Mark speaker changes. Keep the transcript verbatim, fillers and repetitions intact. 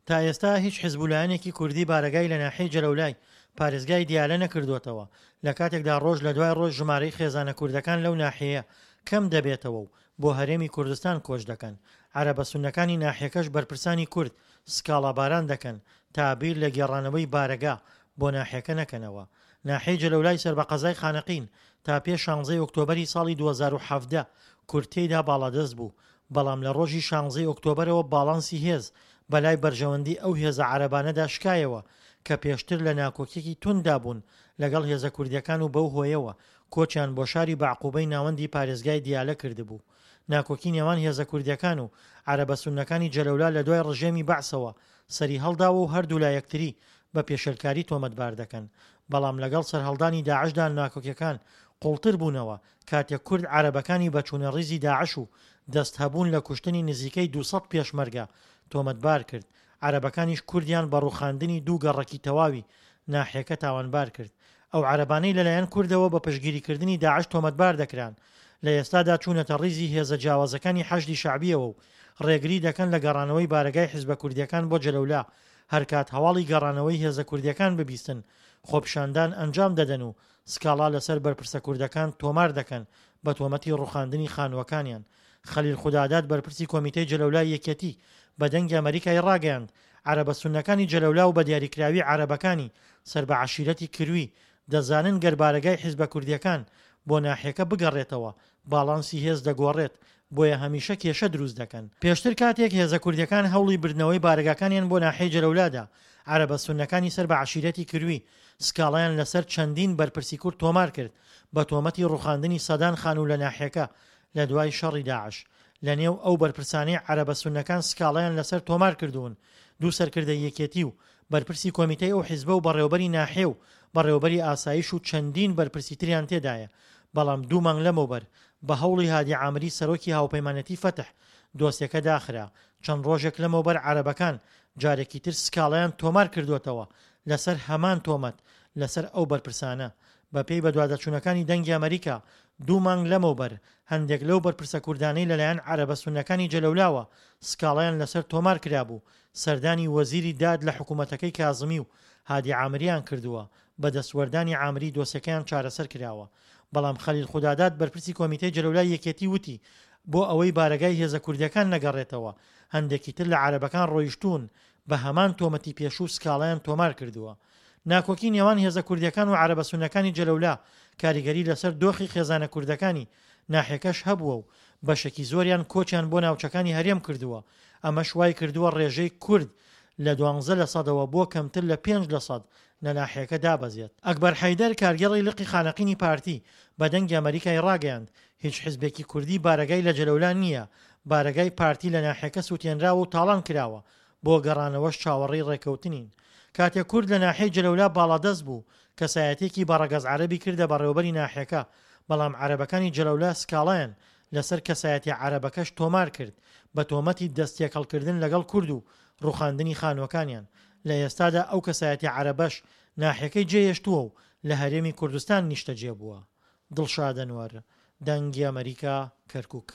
Speaker 1: تا ئێستا هیچ حزب و لایەنێکی کوردی بارەگای لە ناحیەی جەلەولای پارێزگای دیالە نەکردووەتەوە، لە کاتێکدا ڕۆژ لە دوای ڕۆژ ژمارەی خێزانە کوردەکان لەو ناحیەیە کەم دەبێتەوە و بۆ هەرێمی کوردستان کۆچ دەکەن، عەرەبە سوننەکانی ناحیەکەش بەرپرسانی کورد سکاڵاباران دەکەن تا بیر لە گێڕانەوەی بارەگا بۆ ناحیەکە نەکەنەوە. ناحیەی جەلەولای سەر بە قەزای خانەقین تا پێش شانزەی ئۆکتۆبەری ساڵی دوو هەزار و حەڤدە کورد تێیدا باڵادەست بوو، بەڵام لە ڕۆژی شانزەی ئۆکتۆبەرەوە باڵانسی هێز بەلای بەرژەوەندی ئەو هێزە عەرەبانەدا شکایەوە کە پێشتر لە ناکۆکیەکی تونددا بوون لەگەڵ هێزە کوردیەکان و بەو هۆیەوە کۆچیان بۆ شاری بەعقوبەی ناوەندی پارێزگای دیالە کردبوو. ناکۆکی نێوان هێزە کوردیەکان و عەرەبە سوننەکانی جەلەولا لە دوای ڕژێمی بەعسەوە سەریهەڵداوە و هەردوولا یەکتری بە پێشێلکاری تۆمەتبار دەکەن، بەڵام لەگەڵ سەرهەڵدانی داعشدا ناکۆکیەکان قوڵتر بوونەوە کاتێک کورد عەرەبەکانی بە چوونە ڕیزی داعش و دەست هەبوون لە کوشتنی نزیکەی دوو سەد پێشمەرگە تۆمەتبار کرد، عەرەبەکانیش کوردیان بە ڕووخاندنی دوو گەڕەکی تەواوی ناحیەکە تاوانبار کرد. ئەو عەرەبانەی لەلایەن کوردەوە بە پشتگیریکردنی داعش تۆمەتبار دەکران، لە ئێستادا چوونەتە ڕیزی هێزە جیاوازەکانی حەشدی شەعبییەوە و ڕێگری دەکەن لە گەڕانەوەی بارەگای حزبە کوردییەکان بۆ جەلەولا، هەرکات هەواڵی گەڕانەوەی هێزە کوردییەکان ببیستن خۆپیشاندان ئەنجام دەدەن و سکاڵا لەسەر بەرپرسە کوردەکان تۆمار دەکەن بە تۆمەتی ڕوخاندنی خانووەکانیان. خەلیل خوداداد بەرپرسی کۆمیتەی جەلەولای یەکێتی بە دەنگی ئەمەریکای ڕاگەیاند عەرەبە سوننەکانی جەلەولا و بە دیاریکراوی عەرەبەکانی سەر بە عەشیرەتی کروی دەزانن گەر بارەگای حیزبە کوردییەکان بۆ ناحیەکە بگەڕێتەوە باڵانسی هێز دەگۆڕێت بۆیە هەمیشە کێشە دروست دەکەن. پێشتر کاتێک هێزە کوردییەکان هەوڵی بردنەوەی بارەگاکانیان بۆ ناحیەی جەلەولا دا، عەرەبە سوننەکانی سەر بە عەشیرەتی کروی سکاڵایان لەسەر چەندین بەرپرسی کورد تۆمار کرد بە تۆمەتی ڕوخاندنی سەدان خانوو لە ناحیەکە لە دوای شەڕی داعش. لە نێو ئەو بەرپرسانەی عەرەبە سوننەکان سکاڵایان لەسەر تۆمار کردوون دوو سەرکردەی یەکێتی و بەرپرسی کۆمیتەی ئەو حیزبە و بەڕێوەبەری ناحیە و بەڕێوەبەری ئاسایش و چەندین بەرپرسی تریان تێدایە بەڵام دوو مانگ لەمەوبەر بە هەوڵی هادی عامری سەرۆکی هاوپەیمانێتی فەتح دۆسیەکە داخرا. چەند ڕۆژێک لەمەوبەر عەرەبەکان جارێکی تر سکاڵایان تۆمار کردووەتەوە لەسەر هەمان تۆمەت لەسەر ئەو بەرپرسانە. بەپێی بەدواداچوونەکانی دەنگی ئەمەریکا دوو مانگ لەمەوبەر هەندێک لەو بەرپرسە کوردانەی لەلایەن عەرەبە سوننەکانی جەلەولاوە سکاڵایان لەسەر تۆمار کرابوو سەردانی وەزیری داد لە حکومەتەکەی کازمی و هادی عامریان کردووە، بە دەستوەردانی عامری دۆسیەکەیان چارەسەر کراوە. بەڵام خەلیل خوداداد بەرپرسی کۆمیتەی جەلەولای یەکێتی وتی بۆ ئەوەی بارەگای هێزە کوردیەکان نەگەڕێتەوە هەندێکی تر لە عەرەبەکان ڕۆیشتوون بە هەمان تۆمەتی پێشوو سکاڵایان تۆمار کردووە. ناکۆکی نێوان هێزە کوردیەکان و عەرەبە سوننەکانی جەلەولا کاریگەری لەسەر دۆخی خێزانە کوردەکانی ناحیەکەش هەبووە و بەشێکی زۆریان کۆچیان بۆ ناوچەکانی هەرێم کردووە، ئەمەش وایکردووە ڕێژەی کورد لە دوانزە لە سەدەوە بۆ کەمتر لە پێنج لە سەد لە ناحیەکە دابەزێت. ئەکبەر حەیدەر، کارگێڕی لقی خانەقینی پارتی، بە دەنگی ئەمەریکای ڕاگەیاند، هیچ حزبێکی کوردی بارەگای لە جەلەولا نییە، بارەگای پارتی لە ناحیەکە سوتێنراوە و تاڵان کراوە، بۆ گەڕانەوەش چاوەڕێی ڕێککەوتنین. کاتێک کورد لە ناحیەی جەلەولا باڵادەست بوو، کەسایەتیەکی بە ڕەگەز عەرەبی کردە بەڕێوەبەری ناحیەکە، بەڵام عەرەبەکانی جەلەولا سکاڵایان لەسەر کەسایەتیە عەرەبەکەش تۆمار کرد بە تۆمەتی دەست تێکەڵکردن لەگەڵ کورد و ڕوخاندنی خانوەکانیان. لە ئێستادا ئەو کەسایەتیە عەرەبەش ناحیەکەی جێهێشتووە و لە هەرێمی کوردستان نیشتەجێ بووە. دڵشاد ئەنوەر، دەنگی ئەمەریکا، کەرکوک.